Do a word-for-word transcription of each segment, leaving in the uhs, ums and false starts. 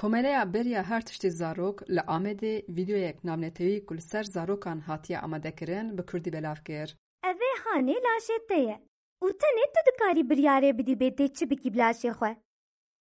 Komeleya Beriya Her Tiştî Zarok li Amedê vîdeoyek navnetewî ku li ser zarokan hatiye amadekirin, bi kurdî belav kir. Ev ê hanê laşê te ye û tenê tu dikarî biryarê bidî bê tê çi bikî bi laşê xwe.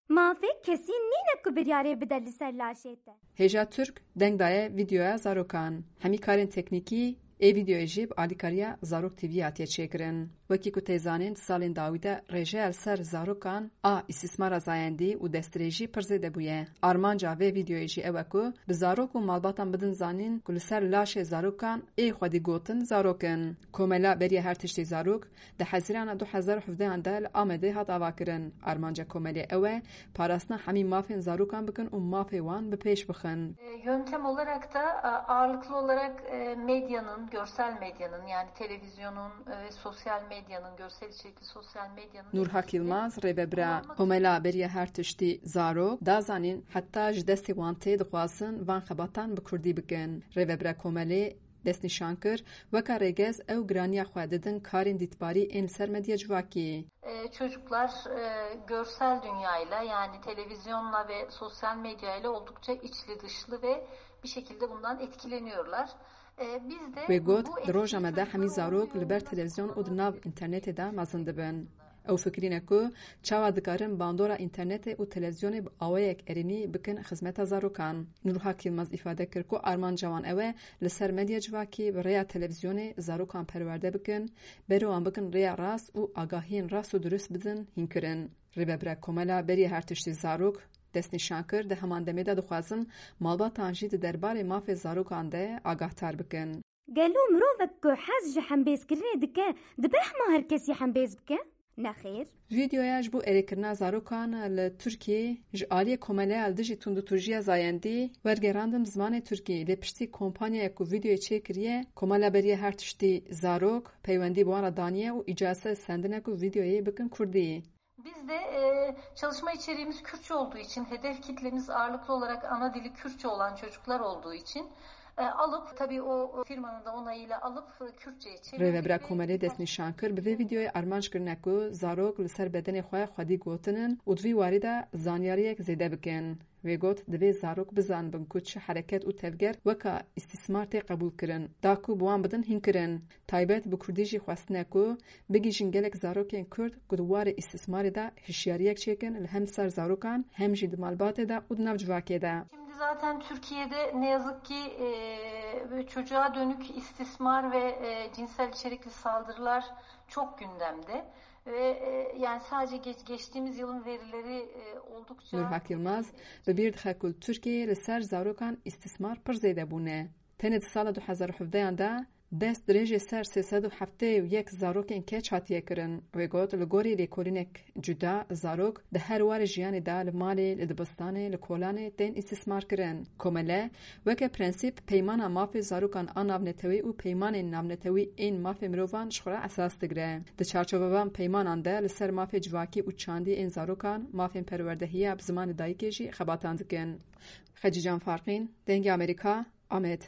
Mafê kesî nîne ku biryarê bide li ser laşê te. Hêja Turk deng daye vîdeoya zarokan. Hemî karên teknîkî ê vîdeoyê jî bi alîkariya Zarok T V hatiye çêkirin. Wekî ku tê zanîn, di salên dawî de rêjeya li ser zarokan a îstîsmara zayendî û destdirêjî pir zêde bûye. Armanca vê vîdeoyê jî ew e ku bi zarok û malbatan bidin zanîn ku li ser laşê zarokan ê xwedî gotin zarok in. Komela Beriya Her Tiştî Zarok di Hezîrana du hezar û hevdehan de li Amedê hat avakirin. Armanca komelê ew e, parastina hemî mafên zarokan bikin û mafê wan bi pêş bixin. E, yöntem olarak da, e, ağırlıklı olarak, e, medyanın, görsel medyanın, yani televizyonun, e, ve sosyal medyanın, görsel içerikli sosyal medyanın Nurhak etkisini Yilmaz, rêvebira kullanmak Komela Beriya Her Tiştî Zarok, da zanîn heta ji destê wan tê dixwazin van xebatan bi kurdî bikin. Rêvebira komelê destnîşan kir, weka rêgez ew giraniya xwe didin karên dîtbarî ên li ser medya civakî. E, çocuklar, e, görsel dünyayla, yani televizyonla ve sosyal medyayla oldukça içli dışlı ve bir şekilde bundan etkileniyorlar. E, biz de Wê got, bu di roja me de etkinliği hemî zarok li ber televizyon û di nav înternetê de mezin dibin. Ew fikirîne ku çawa dikarin bandora înternetê û televîzyonê bi awayek erênî bikin xizmeta zarokan. Nurhak Yilmaz îfade kir ku armanca wan ew e li ser medya civakî bi rêya televîzyonê zarokan perwerde bikin, berê wan bikin rêya rast û agahiyên rast û dirust bidin hînkirin. Rêvebira Komela Beriya Her Tiştî Zarok destnîşan kir, di heman demê de dixwazin malbatan jî di derbarê mafê zarokan de agahdar bikin. Gelo mirovek ku hez ji hembêzkirinê dike, dibe hema her kesî hembêz bike? Nexêr. Vîdeoya ji bo erêkirina zarokan li Tirkiyê ji aliyê Komeleya li Dijî Tundûtûjiya Zayendî wergerandin bi zimanê Tirkî, lê piştî kompanyayek ku vîdeoyê çêkiriye, Komela Beriya Her Tiştî Zarok, peywendî bi wan re daniye û îcase sendine ku vîdeoyê bikin kurdî. Biz de, e, çalışma içeriğimiz Kürtçe olduğu için, hedef kitlemiz ağırlıklı olarak ana dili Kürtçe olan çocuklar olduğu için, e, alıp, tabii o, o firmanın da onayıyla alıp, e, Kürtçe'ye çevirdik. Rêvebira Komelê destnîşan kir, bi vê vîdeoyê armanc kirine ku zarok li ser bedenê xwe xwedî gotinin û di vî warî de zanyariyek zêde bikin. Wê got, divê zarok bizanibin ku çi hereket û tevger weka îstîsmar tê qebûlkirin, da ku bi wan bidin hînkirin. Taybet bi kurdî jî xwestine ku bigihîjin gelek zarokên kurd ku di warê îstîsmarê de hişyariyek çêkin, li hem ser zarokan, hem jî di malbatê de û di nav civakê de. Şimdi zaten Türkiye'de ne yazık ki, e, çocuğa dönük istismar ve, e, cinsel içerikli saldırılar çok gündemde. Ve, e, yani sadece geç-, geçtiğimiz yılın verileri, e, oldukça Nurhak Yilmaz bi bîr dixe ku li Tirkiyeyê li ser zarokan îstîsmar pir zêde bûne. Tenê di sala du hezar û hevdehan de dest dirêjê ser sê sed û heftê û yek zarokên keç hatiye kirin. Wê got, li gorî lêkolînek cuda, zarok di her warê jiyanê de, li malê, li dibistanê, li kolanê tên îstîsmar kirin. Komele, weke prensîp, peymana mafê zarokan a navnetewî û peymanên navnetewî ên mafê mirovan ji xwe re esas digire. Di çarçovevan peymanan de li ser mafê civakî û çandî ên zarokan, mafên perwerdehiya bi zimanê dayikê jî xebatan dikin. Xecîcan Farqîn, Dengê Amerîka, Amed.